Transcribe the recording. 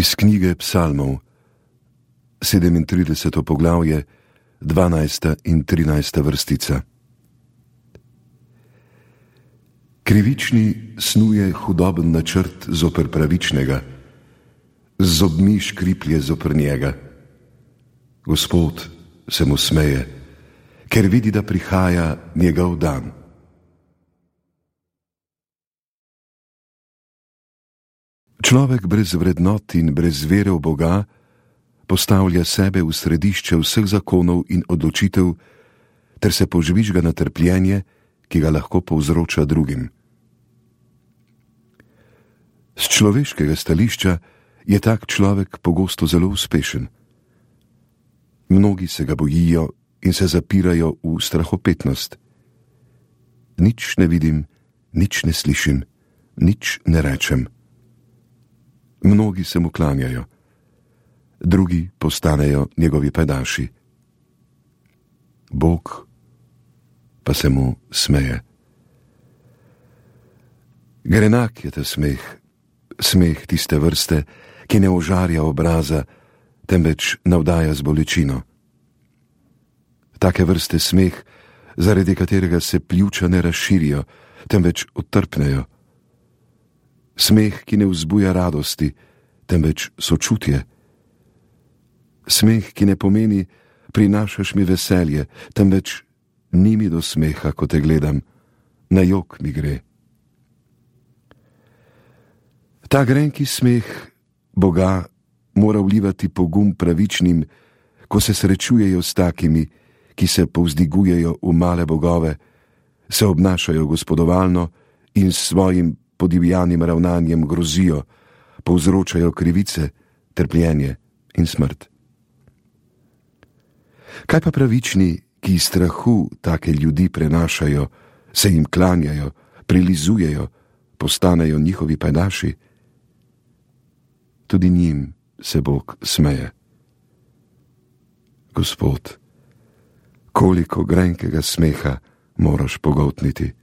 Iz knjige Psalmov, 37. poglavje, 12. in 13. vrstica. Krivični snuje hudoben načrt zoper pravičnega, z zobmi škriplje zoper njega. Gospod se mu smeje, ker vidi, da prihaja njegov dan. Človek brez vrednot in brez vere v Boga postavlja sebe v središče vseh zakonov in odločitev ter se požvižga na trpljenje, ki ga lahko povzroča drugim. Z človeškega stališča je tak človek pogosto zelo uspešen. Mnogi se ga bojijo in se zapirajo v strahopetnost. Nič ne vidim, nič ne slišim, nič ne rečem. Mnogi se mu klanjajo, drugi postanejo njegovi pajdaši. Bog pa se mu smeje. Grenak je ta smeh, smeh tiste vrste, ki ne ožarja obraza, temveč navdaja z bolečino. Take vrste smeh, zaradi katerega se pljuča ne razširijo, temveč odtrpnejo. Smeh, ki ne vzbuja radosti, temveč sočutje. Smeh, ki ne pomeni prinašaš mi veselje, temveč ni mi do smeha, ko te gledam, na jok mi gre. Ta grenki smeh Boga mora vlivati pogum pravičnim, ko se srečujejo s takimi, ki se povzdigujejo v male bogove, se obnašajo gospodovalno in s svojim podivjanim ravnanjem grozijo, povzročajo krivice, trpljenje in smrt. Kaj pa pravični, ki iz strahu take ljudi prenašajo, se jim klanjajo, prilizujejo, postanejo njihovi pajdaši? Tudi njim se Bog smeje. Gospod, koliko grenkega smeha moraš pogoltniti.